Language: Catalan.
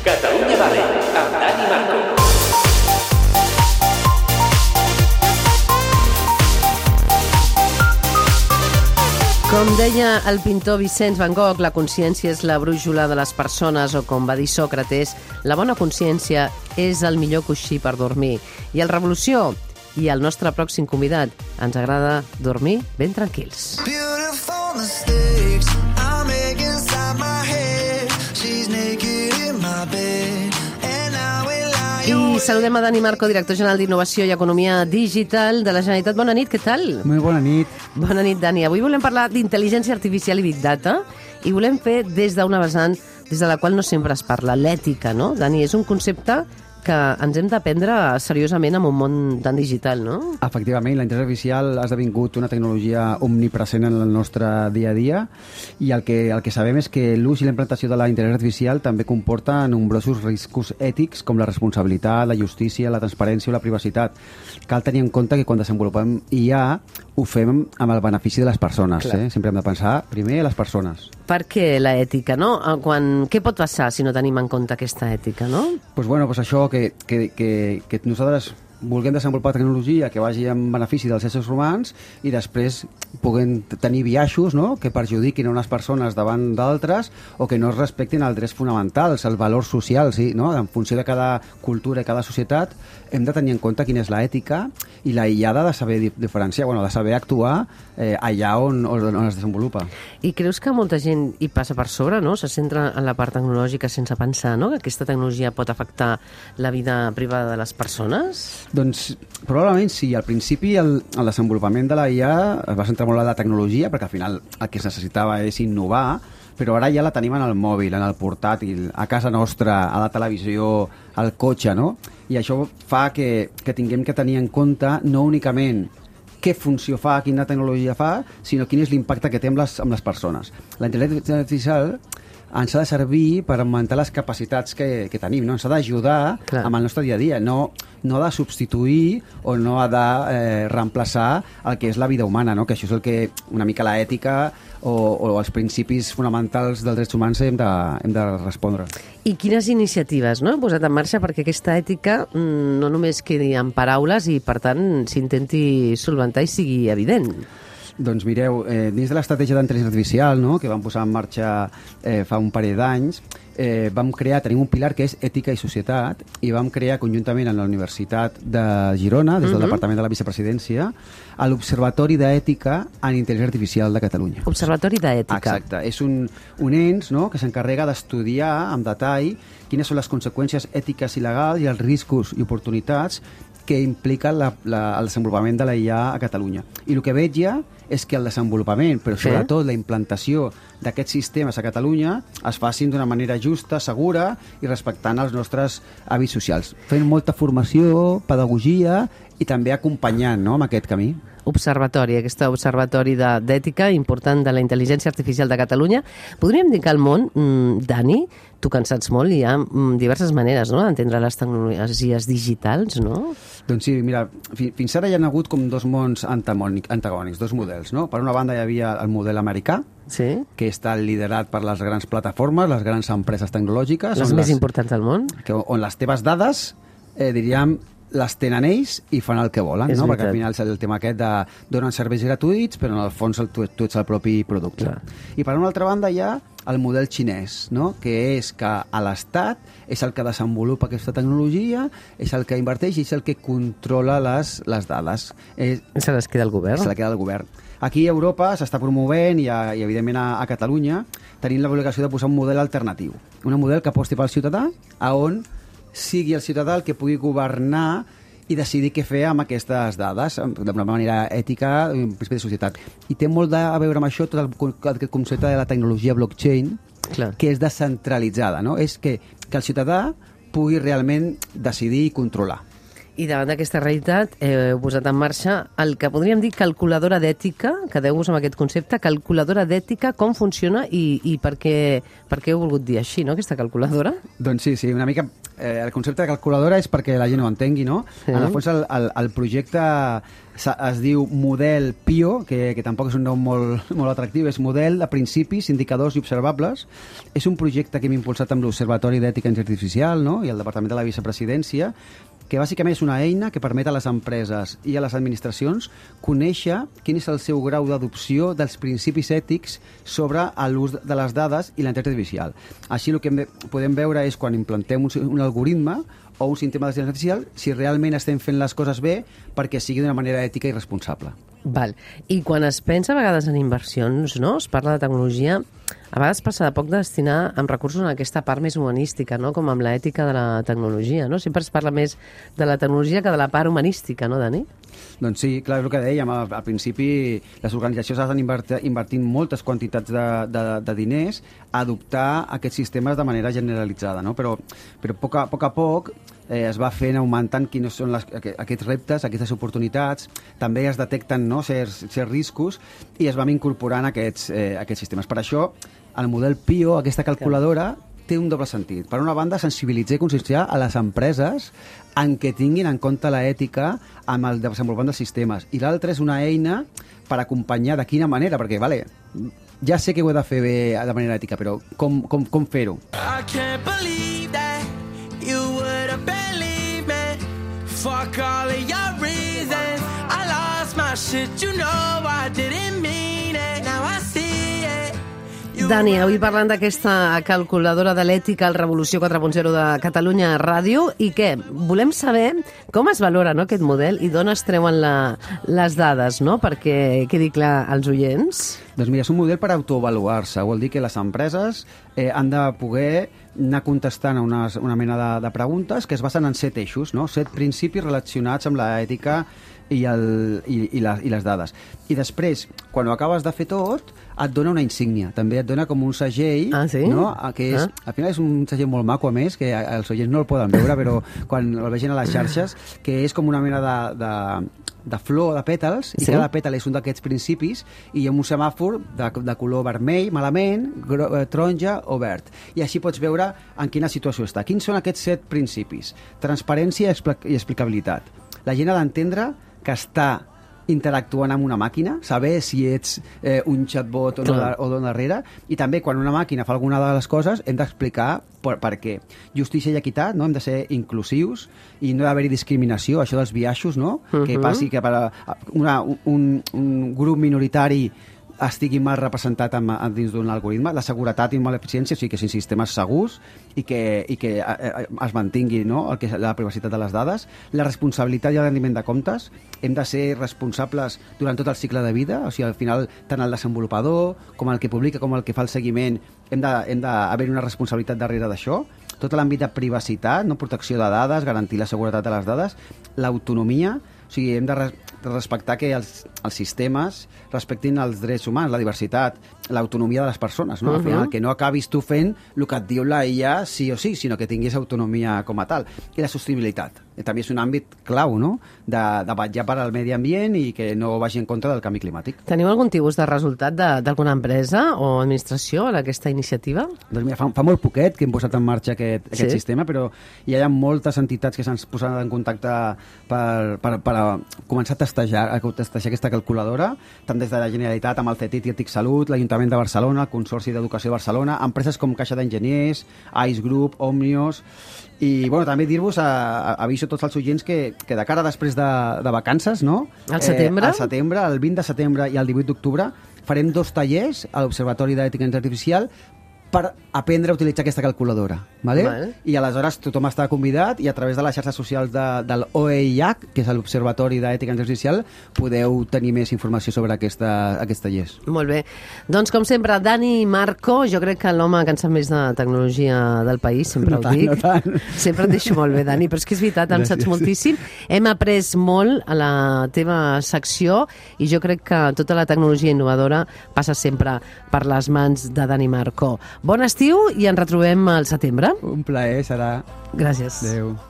Catalunya Vale, amb Dani Marco. Com deia el pintor Vicenç Van Gogh, la consciència és la brúixola de les persones, o com va dir Sòcrates, la bona consciència és el millor coixí per dormir. I el Revolució i el nostre pròxim convidat ens agrada dormir ben tranquils. Beautiful mistakes I make inside my head. She's naked in my bed. And now we lie. I saludem a Dani Marco, director general d'Innovació i Economia Digital de la Generalitat. Bona nit, què tal? Molt bona nit. Bona nit, Dani. Avui volem parlar d'intel·ligència artificial i Big Data i volem fer des d'una vessant des de la qual no sempre es parla, l'ètica, no? Dani, és un concepte que ens hem d'aprendre seriosament en un món tan digital, no? Efectivament, la intel·ligència artificial ha esdevingut una tecnologia omnipresent en el nostre dia a dia i el que sabem és que l'ús i la implantació de la intel·ligència artificial també comporta nombrosos riscos ètics com la responsabilitat, la justícia, la transparència o la privacitat. Cal tenir en compte que quan desenvolupem IA ho fem amb el benefici de les persones. Sempre hem de pensar primer a les persones. Per què l'ètica, no? Què pot passar si no tenim en compte aquesta ètica, no? Pues això, que nosaltres vulguem desenvolupar tecnologia que vagi en benefici dels éssers humans i després puguem tenir biaixos, no?, que perjudiquin unes persones davant d'altres o que no es respectin els drets fonamentals, els valors socials, no? En funció de cada cultura i cada societat hem de tenir en compte quina és l'ètica i la IA ha de saber diferenciar, de saber actuar allà on es desenvolupa. I creus que molta gent hi passa per sobre, no? Se centra en la part tecnològica sense pensar, no?, que aquesta tecnologia pot afectar la vida privada de les persones? Doncs probablement sí. Al principi el desenvolupament de la IA es va centrar molt en la tecnologia perquè al final el que es necessitava és innovar, però ara ja la tenim en el mòbil, en el portàtil, a casa nostra, a la televisió, al cotxe, no? I això fa que tinguem que tenir en compte no únicament què funció fa, quina tecnologia fa, sinó quin és l'impacte que té amb les persones. La intel·ligència artificial ens ha de servir per augmentar les capacitats que tenim, no? Ens ha d'ajudar amb el nostre dia a dia, no ha de substituir o no ha de reemplaçar el que és la vida humana, no? Que això és el que una mica l'ètica o els principis fonamentals dels drets humans hem de respondre. I quines iniciatives, no?, heu posat en marxa perquè aquesta ètica no només quedi en paraules i, per tant, s'intenti solventar i sigui evident? Doncs mireu, dins de l'estratègia d'intel·ligència artificial, no?, que vam posar en marxa fa un parell d'anys, tenim un pilar que és ètica i societat i vam crear conjuntament amb la Universitat de Girona, des del Departament de la Vicepresidència, l'Observatori d'Ètica en Intel·ligència Artificial de Catalunya. Observatori d'Ètica. Exacte. És un ens, no?, que s'encarrega d'estudiar amb detall quines són les conseqüències ètiques i legals i els riscos i oportunitats que implica el desenvolupament de la IA a Catalunya. I el que veig ja és que el desenvolupament, però sobretot la implantació d'aquests sistemes a Catalunya es facin d'una manera justa, segura i respectant els nostres hàbits socials. Fent molta formació, pedagogia i també acompanyant, no?, amb aquest camí. Aquest observatori d'ètica important de la intel·ligència artificial de Catalunya. Podríem dir que al món, Dani, tu que en saps molt, hi ha diverses maneres, no?, d'entendre les tecnologies digitals, no? Doncs sí, mira, fins ara hi ha hagut com dos mons antagònics, dos models, no? Per una banda hi havia el model americà, que està liderat per les grans plataformes, les grans empreses tecnològiques. Les més importants del món. On les teves dades, diríem, les tenen ells i fan el que volen, no? Perquè al final és el tema aquest de donen serveis gratuïts, però en el fons tu ets el propi producte. I per una altra banda hi ha el model xinès, no?, que és que l'Estat és el que desenvolupa aquesta tecnologia, és el que inverteix i és el que controla les dades. Se les queda el govern. Se les queda el govern. Aquí a Europa s'està promovent i evidentment a Catalunya tenim l'obligació de posar un model alternatiu, un model que aposti pel ciutadà, on sigui el ciutadà el que pugui governar i decidir què fer amb aquestes dades d'una manera ètica i en principi de societat. I té molt a veure amb això tot aquest concepte de la tecnologia blockchain, que és descentralitzada, no? És que el ciutadà pugui realment decidir i controlar. I davant d'aquesta realitat heu posat en marxa el que podríem dir calculadora d'ètica, quedeu-vos amb aquest concepte, calculadora d'ètica, com funciona i per què heu volgut dir així, no?, aquesta calculadora? Doncs sí, una mica el concepte de calculadora és perquè la gent ho entengui, no? Sí. En el fons el projecte es diu Model PIO, que tampoc és un nom molt atractiu, és Model de Principis, Indicadors i Observables. És un projecte que hem impulsat amb l'Observatori d'Ètica Artificial, no?, i el Departament de la Vicepresidència, que bàsicament és una eina que permet a les empreses i a les administracions conèixer quin és el seu grau d'adopció dels principis ètics sobre l'ús de les dades i la intel·ligència artificial. Així el que podem veure és quan implantem un algoritme o un sistema d'intel·ligència artificial si realment estem fent les coses bé perquè sigui d'una manera ètica i responsable. Val. I quan es pensa a vegades en inversions, no?, es parla de tecnologia, a vegades passa de poc de destinar amb recursos en aquesta part més humanística, no?, com amb l'ètica de la tecnologia, no? Sempre es parla més de la tecnologia que de la part humanística, no, Dani? Doncs sí, clar, és el que dèiem. Al principi les organitzacions estan invertint moltes quantitats de diners a adoptar aquests sistemes de manera generalitzada, no? Però a poc es va fent augmentant quins són aquests reptes, aquestes oportunitats, també es detecten, no?, certs riscos i es van incorporant aquests sistemes. Per això el model PIO, aquesta calculadora, té un doble sentit. Per una banda, sensibilitzar i conscienciar a les empreses en què tinguin en compte l'ètica amb el desenvolupament dels sistemes. I l'altra és una eina per acompanyar de quina manera, perquè, ja sé que ho he de fer bé de manera ètica, però com fer-ho? I can't believe that you would have believed me. Fuck all of your reasons. I lost my shit, you know I didn't mean it. Now I see it. Dani, avui parlant d'aquesta calculadora de l'ètica al Revolució 4.0 de Catalunya Ràdio, i què? Volem saber com es valora, no, aquest model i d'on es treuen les dades, no?, perquè quedi clar als oients. Doncs mira, és un model per autoavaluar-se. Vol dir que les empreses han de poder anar contestant a una mena de preguntes que es basen en 7 eixos, no? 7 principis relacionats amb l'ètica i les dades. I després, quan ho acabes de fer tot, et dona una insígnia. També et dona com un segell, no? Que és, al final és un segell molt maco, a més, que els oients no el poden veure, però quan el vegin a les xarxes, que és com una mena de flor, de pètals, i cada pètal és un d'aquests principis, i hi ha un semàfor de color vermell, malament, taronja o verd. I així pots veure en quina situació està. Quins són aquests 7 principis? Transparència i explicabilitat. La gent ha d'entendre que està interactuant amb una màquina, saber si ets un chatbot o no darrere, i també quan una màquina fa alguna de les coses hem d'explicar per què. Justícia i equitat, no? Hem de ser inclusius i no d'haver-hi discriminació, això dels biaixos, no? Que passi que per un grup minoritari estigui mal representat dins d'un algoritme, la seguretat i l'eficiència, o sigui que siguin sistemes segurs i que es mantingui, no?, la privacitat de les dades, la responsabilitat i el rendiment de comptes. Hem de ser responsables durant tot el cicle de vida, o sigui, al final, tant el desenvolupador com el que publica com el que fa el seguiment, hem d'haver una responsabilitat darrere d'això. Tot l'àmbit de privacitat, no?, protecció de dades, garantir la seguretat de les dades, l'autonomia, o sigui, hem de respectar que els sistemes respectin els drets humans, la diversitat, l'autonomia de les persones, no? Al final, que no acabis tu fent el que et diu la IA sí o sí, sinó que tinguis autonomia com a tal. I la sostenibilitat. També és un àmbit clau, no?, de vetllar per al medi ambient i que no vagi en contra del canvi climàtic. Teniu algun tipus de resultat d'alguna empresa o administració en aquesta iniciativa? Doncs mira, fa molt poquet que hem posat en marxa aquest sistema, però hi ha moltes entitats que s'han posat en contacte per començar a testejar aquesta calculadora, tant des de la Generalitat amb el CETIT i Etic Salut, l'Ajuntament de Barcelona, el Consorci d'Educació de Barcelona, empreses com Caixa d'Enginyers, Ice Group, Omnios. I també dir-vos, aviso tots els oients que de cara després de vacances, no? Al setembre? Al setembre, el 20 de setembre i el 18 d'octubre, farem 2 tallers a l'Observatori d'Ètica Artificial per aprendre a utilitzar aquesta calculadora. I aleshores tothom està convidat i a través de les xarxes socials de l'OEIH, que és l'Observatori d'Ètica Artificial, podeu tenir més informació sobre aquests tallers. Molt bé. Doncs, com sempre, Dani Marco, jo crec que l'home que en sap més de tecnologia del país, sempre ho dic. No tant. Sempre et deixo molt bé, Dani, però és que és veritat, en saps moltíssim. Hem après molt a la teva secció i jo crec que tota la tecnologia innovadora passa sempre per les mans de Dani Marco. Bon estiu i ens retrobem al setembre. Un plaer, serà. Gràcies. Adéu.